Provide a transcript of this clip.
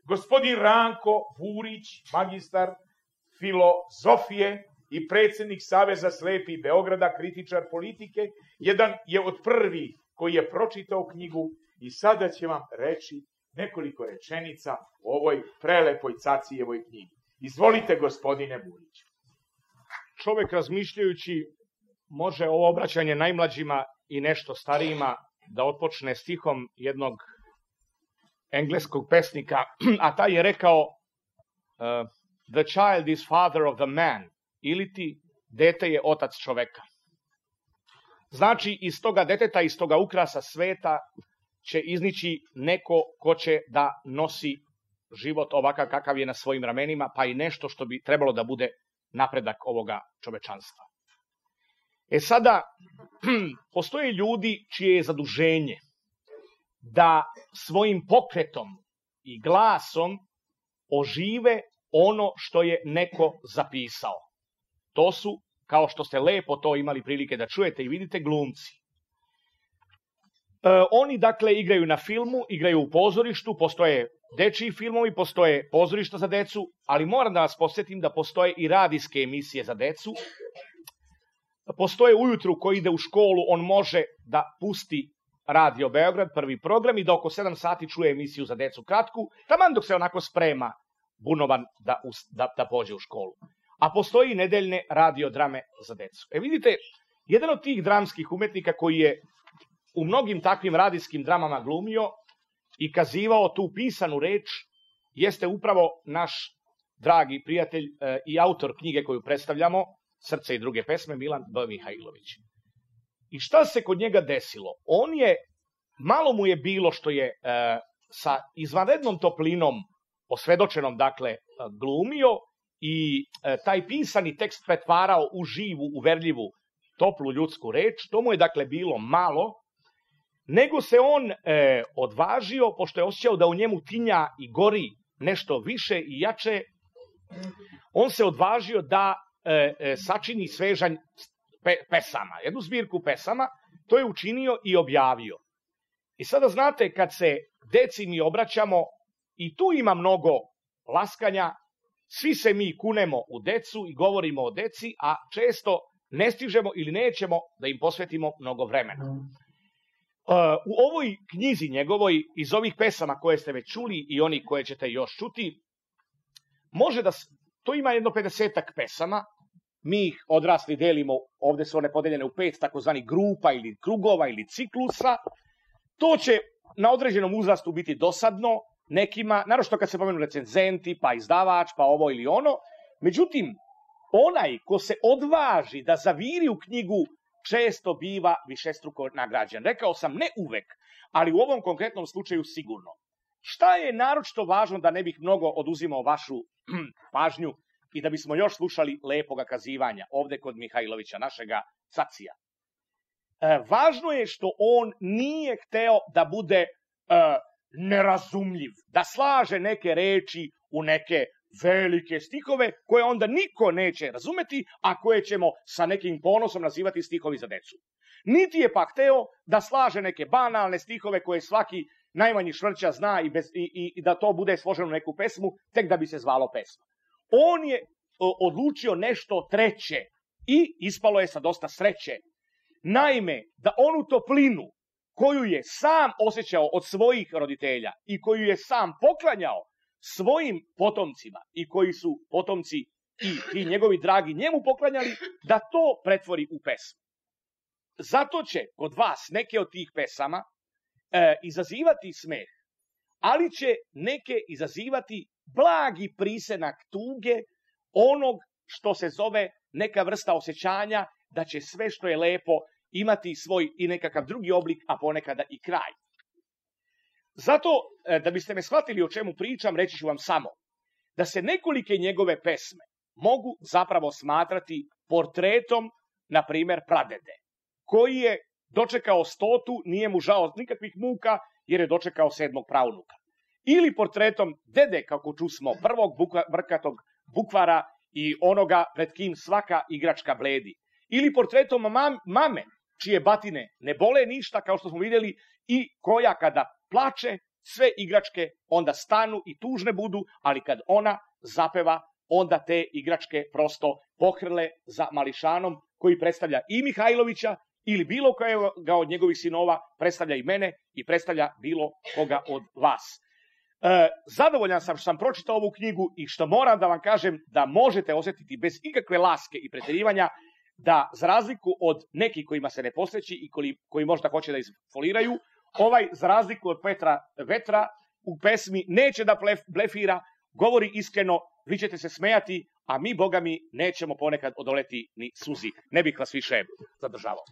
gospodin Ranko Vurić, magistar filozofije i predsjednik Saveza slepih Beograda, kritičar politike, jedan je od prvih koji je pročitao knjigu i sada će vam reći nekoliko rečenica o ovoj prelepoj Cacijevoj knjigi. Izvolite, gospodine Vurić. Čovek razmišljajući može ovo obraćanje najmlađima i nešto starijima da otpočne stihom jednog engleskog pesnika, a taj je rekao The child is father of the man, ili ti dete je otac čoveka. Znači, iz toga deteta, iz toga ukrasa sveta će iznići neko ko će da nosi život ovakav kakav je na svojim ramenima, pa i nešto što bi trebalo da bude napredak ovoga čovečanstva. Sada, postoje ljudi čije je zaduženje da svojim pokretom i glasom ožive ono što je neko zapisao. To su, kao što ste lepo to imali prilike da čujete i vidite, glumci. Oni, dakle, igraju na filmu, igraju u pozorištu, postoje dečiji filmovi, postoje pozorišta za decu, ali moram da vas podsjetim da postoje i radijske emisije za decu. Postoje ujutru ko ide u školu, on može da pusti Radio Beograd, prvi program, i da oko 7 sati čuje emisiju za decu kratku, taman dok se onako sprema bunovan da pođe u školu. A postoji i nedeljne radiodrame za decu. Vidite, jedan od tih dramskih umetnika koji je u mnogim takvim radijskim dramama glumio i kazivao tu pisanu reč jeste upravo naš dragi prijatelj i autor knjige koju predstavljamo, Srce i druge pesme, Milan B. Mihajlović. I šta se kod njega desilo? Malo mu je bilo što je sa izvanrednom toplinom, osvedočenom, dakle, glumio i taj pisani tekst pretvarao u živu, uverljivu, toplu ljudsku reč. To mu je, dakle, bilo malo, nego se on odvažio, pošto je osjećao da u njemu tinja i gori nešto više i jače, on se odvažio da sačini svežanj pesama, jednu zbirku pesama, to je učinio i objavio. I sada znate, kad se deci mi obraćamo, i tu ima mnogo laskanja, svi se mi kunemo u decu i govorimo o deci, a često ne stižemo ili nećemo da im posvetimo mnogo vremena. U ovoj knjizi njegovoj, iz ovih pesama koje ste već čuli i oni koje ćete još čuti, to ima jedno 50-ak pesama, mi ih odrasli delimo, ovde su one podeljene u 5 takozvanih grupa ili krugova ili ciklusa. To će na određenom uzrastu biti dosadno nekima, naročito kad se pomenu recenzenti, pa izdavač, pa ovo ili ono. Međutim, onaj ko se odvaži da zaviri u knjigu često biva višestruko nagrađen. Rekao sam, ne uvek, ali u ovom konkretnom slučaju sigurno. Šta je naročito važno, da ne bih mnogo oduzimao vašu pažnju i da bismo još slušali lepoga kazivanja ovde kod Mihajlovića, našega Cacija. Važno je što on nije hteo da bude nerazumljiv, da slaže neke reči u neke velike stihove koje onda niko neće razumeti, a koje ćemo sa nekim ponosom nazivati stihovi za decu. Niti je pak hteo da slaže neke banalne stihove koje svaki najmanji švrća zna i da to bude složeno u neku pesmu, tek da bi se zvalo pesma. On je odlučio nešto treće i ispalo je sa dosta sreće. Naime, da onu toplinu koju je sam osjećao od svojih roditelja i koju je sam poklanjao svojim potomcima i koji su potomci i ti njegovi dragi njemu poklanjali, da to pretvori u pesmu. Zato će kod vas neke od tih pesama izazivati smeh, ali će neke izazivati blagi prisenak tuge, onog što se zove neka vrsta osjećanja da će sve što je lepo imati svoj i nekakav drugi oblik, a ponekada i kraj. Zato, da biste me shvatili o čemu pričam, reći ću vam samo da se nekolike njegove pesme mogu zapravo smatrati portretom, na primer, pradede, koji je dočekao 100, nije mu žao nikakvih muka, jer je dočekao 7. pravnuka. Ili portretom dede, kako čusmo, prvog brkatog bukvara i onoga pred kim svaka igračka bledi. Ili portretom mame, čije batine ne bole ništa, kao što smo vidjeli, i koja kada plače, sve igračke onda stanu i tužne budu, ali kad ona zapeva, onda te igračke prosto pohrle za mališanom koji predstavlja i Mihajlovića ili bilo koga od njegovih sinova, predstavlja i mene i predstavlja bilo koga od vas. Zadovoljan sam što sam pročitao ovu knjigu i što moram da vam kažem da možete osjetiti bez ikakve laske i preterivanja da za razliku od nekih kojima se ne posveći i koji možda hoće da izfoliraju, ovaj za razliku od Petra Vetra u pesmi neće da blefira, govori iskreno, vi ćete se smejati, a mi, boga mi, nećemo ponekad odoleti ni suzi. Ne bih vas više zadržavao.